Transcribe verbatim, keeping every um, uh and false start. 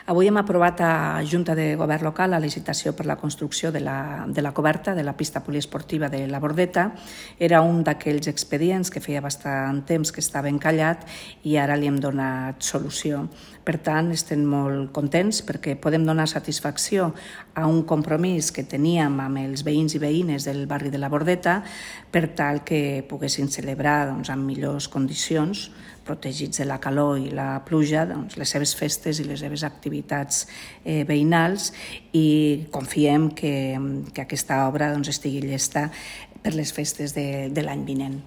Avui hem aprovat a Junta de Govern Local la licitació per la construcció de la, de la coberta de la pista poliesportiva de la Bordeta. Era un d'aquells expedients que feia bastant temps que estava encallat i ara li hem donat solució. Per tant, estem molt contents perquè podem donar satisfacció a un compromís que teníem amb els veïns i veïnes del barri de la Bordeta per tal que poguessin celebrar doncs, en millors condicions, protegits de la calor i la pluja, doncs, les seves festes i les seves activitats eh, veïnals, i confiem que, que aquesta obra doncs, estigui llesta per les festes de, de l'any vinent.